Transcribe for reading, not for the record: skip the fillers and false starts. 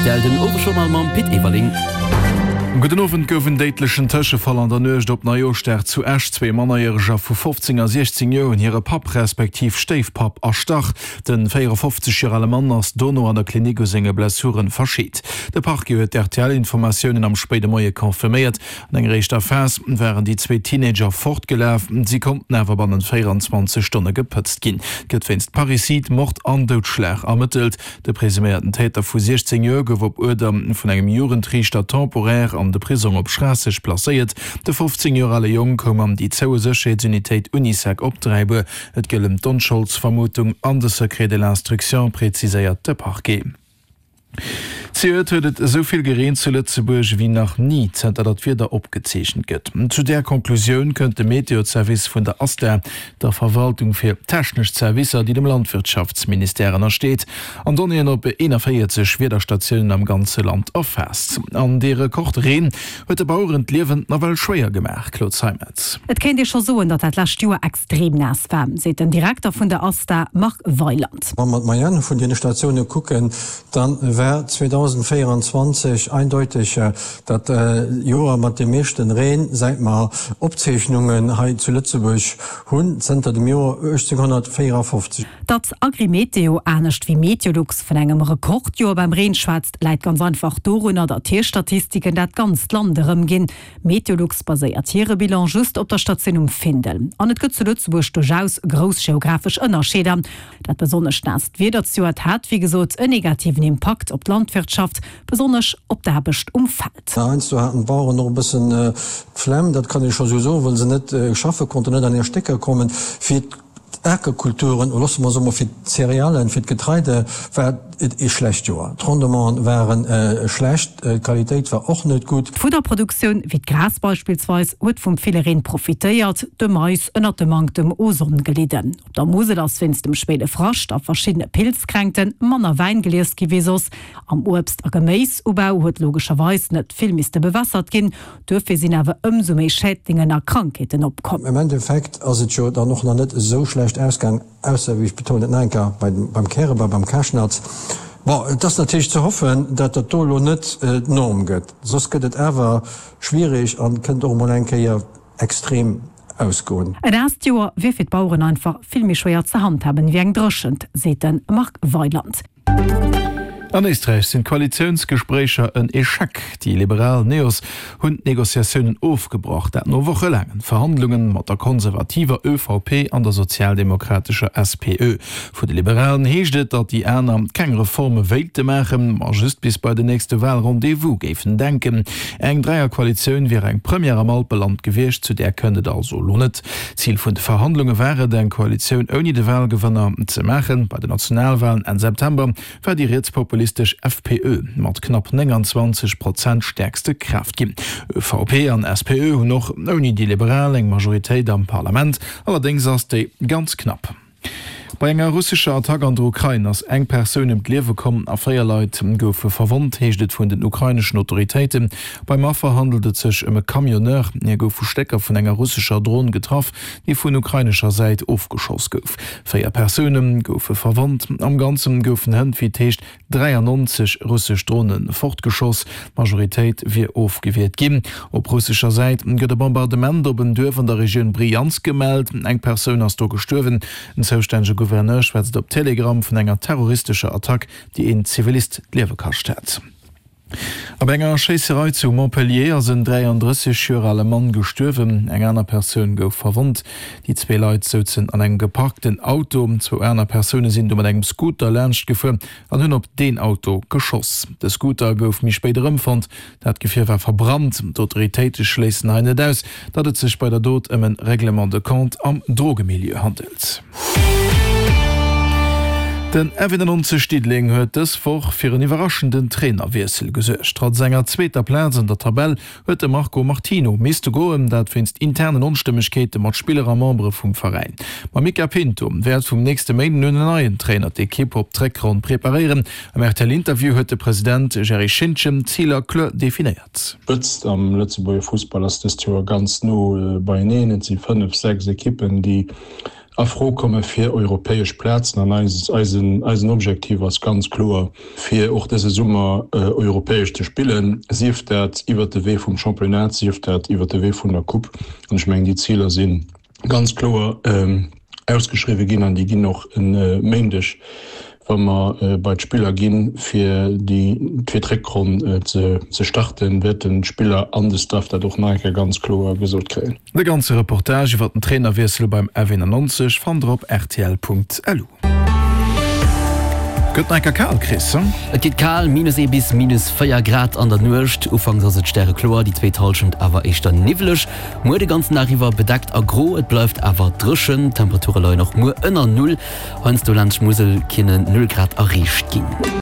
Rtl den Owesjournal mam Pit Everling. Gudden Owend. Gouf en déidlechen Tëschefall an der Nuecht op Neijooschdag zu Esch. Zwee Mannerjäreger vu 15 a 16 Joer hunn hire Papp respektiv Stéifpapp erstach. De 54 Joer ale Mann ass dono an der Klinik u senge Blessuren verscheet. De Parquet huet d'RTL-Informatiounen am spéide Moie confirméiert. An enger éischter Phas waren déi zwee Teenager fortgelaf, si konnten awer bannent 24 Stonne gepëtzt ginn. Et gëtt wéinst Parricide, Mord an Doudschlag ermëttelt. De presuméierten Täter vu 16 Joer gouf op Uerder vun engem Jugendriichter temporaire an de Prisong op Schraasseg placéiert. De 15 Joer ale Jong koum an déi zoue Sécherheetsunitéit Unisec op Dräibuer. Et gëllen d'Onscholdsvermutung an de Secret de l'instruction, preziséiert de Parquet. Zejoert huet et esou vill gereent zu Lëtzebuerg ewéi nach ni, zënter datt d'Wieder opgezeechent gëtt. Zu där Conclusioun kënnt de Meteozervice vun der ASTA, der Verwaltung fir technesch Zerwisser, déi dem Landwirtschaftsministère ënnersteet, an Donnéeën op 41 Wiederstatiounen am ganze Land erfaasst. An dee Rekordreen huet de Baueren d'Liewen nawell schwéier gemaach, Claude Zeimetz. Et kéint ee scho soen, datt dat lescht Joer extrem naass war, seet den Direkter vun der ASTA, Marc Weyland. Wa mer d'Moyenne vun deene Statioune kucken, da war 2024 eindeuteg dat Joer mat deem meeschten Reen, säit mer Opzeechnungen hei zu Lëtzebuerg hunn, zënter dem Joer 1854. Datt Agrimeteo, anescht wéi Meteolux, vun engem Rekordjoer beim Reen schwätzt, läit ganz einfach dorunner, datt hir Statistiken dat ganzt Land erëmginn. Meteolux baséiert hire Bilan just op der Statioun um Findel. An et gëtt zu Lëtzebuerg duerchaus grouss geographesch Ënnerscheeder. Dat besonnesch naasst Wieder zejoert hat, wéi gesot, en negativen Impakt op d'Landwirtschaft, besonnesch op d'Aarbecht um Feld. Heiansdo haten d'Baueren och e bëssen d'Flemm, dat kann ee scho sou soen, well se net schaffe konnten, net an hir Stécker kommen. Fir d'Akerkulturen, oder loosse mer soe mol fir d'Céréalen, fir d'Getreide war et ee schlecht Joer. D'Rendementen ware schlecht, d'Qualitéit war och net gutt. D'Fudderproduktioun, wéi d'Gras beispillsweis, huet vum ville Reen profitéiert, de Mais ënnert dem Manktem u Sonn gelidden. Op der Musel ass wéinst dem spéide Frascht a verschiddene Pilzkränkte manner Wäin gelies gi wéi soss. Am Uebst a Geméisubau huet logescherweis net vill misste bewässert ginn. Duerfir sinn awer ëmsou méi Schädlingen a Krankheeten opkomm. Am Endeffekt ass et jo dann och nach net esou schlecht ausgaang, ausser, wéi ech betonen et nach eng Kéier, beim Kärebau, beim Karschnatz. Bon, et ass natierlech ze hoffen, datt dat do elo net d'Norm gëtt, soss gëtt et awer schwierig an kënnt och emol eng Kéier extrem ausgoen. E naasst Joer wier fir d'Baueren einfach vill méi schwéier ze handhaben ewéi eng Dréchent, seet de Marc Weyland. An Éisträich sinn d'Koalitiounsgespréicher en Echec. Déi liberal Neos hunn d'Negociatiounen ofgebrach, dat no wochelaangen Verhandlunge mat der konservativer ÖVP an der sozialdemokratescher SPÖ. Vu de Liberalen heescht et, datt déi aner keng Reforme wéilte maachen, ma just bis bei den nächste Walrendez-vous géifen denken. Eng Dräierkoalitioun wier eng Première am Alpeland gewiescht, zu där kënnt et also elo net. Zil vun de Verhandlunge war et, eng Koalitioun ouni de Walgewënner ze maachen. Bei den Nationalwalen Enn September war déi rietspopulistesch FPÖ mat knapp 29 Prozent stäerkste Kraaft ginn. ÖVP an SPÖ hunn och ouni déi Liberal eng Majoritéit am Parlament, allerdéngs ass déi ganz knapp. Bei enger russescher Attack an der Ukrain ass eng Persoun ëm d'Liewe komm a 4 Leit goufe verwonnt, heescht et vun den ukraineschen Autoritéiten. Beim Affer handelt et sech ëm e Camionneur. Hie gouf vu Stécker vun enger russescher Dron getraff, déi vun ukrainescher Säit ofgeschoss gouf. 4 Persoune goufe verwonnt. Am Ganze goufen hënt, wéi et heescht, 93 russesch Drone fortgeschoss, d'Majoritéit wier ofgewiert ginn. Op russescher Säit gëtt e Bombardement op en Duerf an der Regioun Brjansk gemellt. Eng Persoun ass do gestuerwen. Den zoustännege Gouverneur schwätzt op Telegram vun enger terroristescher Attack, déi een Zivilist d'Liewe kascht hätt. A bei enger Schéisserei zu Montpellier ass en 33 Joer ale Mann gestuerwen, eng aner Persoun gouf verwonnt. Déi zwee Leit souzen an engem geparkten Auto. Zwou aner Persoune sinn du mat engem Scooter laanscht gefuer an hunn op deen Auto geschoss. De Scooter gouf méi spéit erëmfonnt. Dat Gefier war verbrannt. D'Autoritéite schléissen hei net aus, datt et sech bei der Dot ëm en Règlement de compte am Drogemilieu handelt. Den F91 Diddeleng huet dës Woch fir en iwwerraschenden Trainerwiessel gesuergt. Trotz enger zweeter Plaz an der Tabell huet de Marco Martino misste goen, dat wéinst internen Onstëmmegkeete mat Spiller a Membere vum Veräin. Mam Mica Pinto wäert vum nächste Méinden un en neien Trainer d'Ekipp op d'Réckronn preparéieren. Am RTL-Interview huet de President Jerry Schintgen d'Ziler kloer definéiert. D'Spëtzt am Lëtzebuerger Fussball ass dëst Joer ganz no beieneen. Et si 5, 6 Ekippen, déi. A Fro komme fir europäesch Plazen. An eisen Objektiv ass ganz kloer, fir och dëse Summer europäesch ze spillen, sief dat iwwert de Wee vum Championnat, sief dat iwwert de Wee vun der Coupe. An ech mengen, déi Ziler si ganz kloer ausgeschriwwe ginn an déi ginn och e Méindeg, wa mer bei d'Spiller ginn, fir déi fir d'Réckronn ze starten, wäerten d'Spiller an de Staff dat och nach eng Kéier ganz kloer gesot kréien. De ganze Reportage iwwer den Trainerwiessel beim F91 fannt der op rtl.lu. Gëtt nach enker kal, Chris, he? Et gëtt kal, minus 1 bis minus 4 Grad an der Nuecht. Ufanks ass et stärekloer, déi zweet Hallschent awer éischter niwweleg. Muer de ganzen Dag iwwer bedeckt a gro, et bleift awer dréchen. D'Temperature leien och muer ënner Null, heiansdo laanscht d'Musel kinnen 0 Grad erreecht ginn.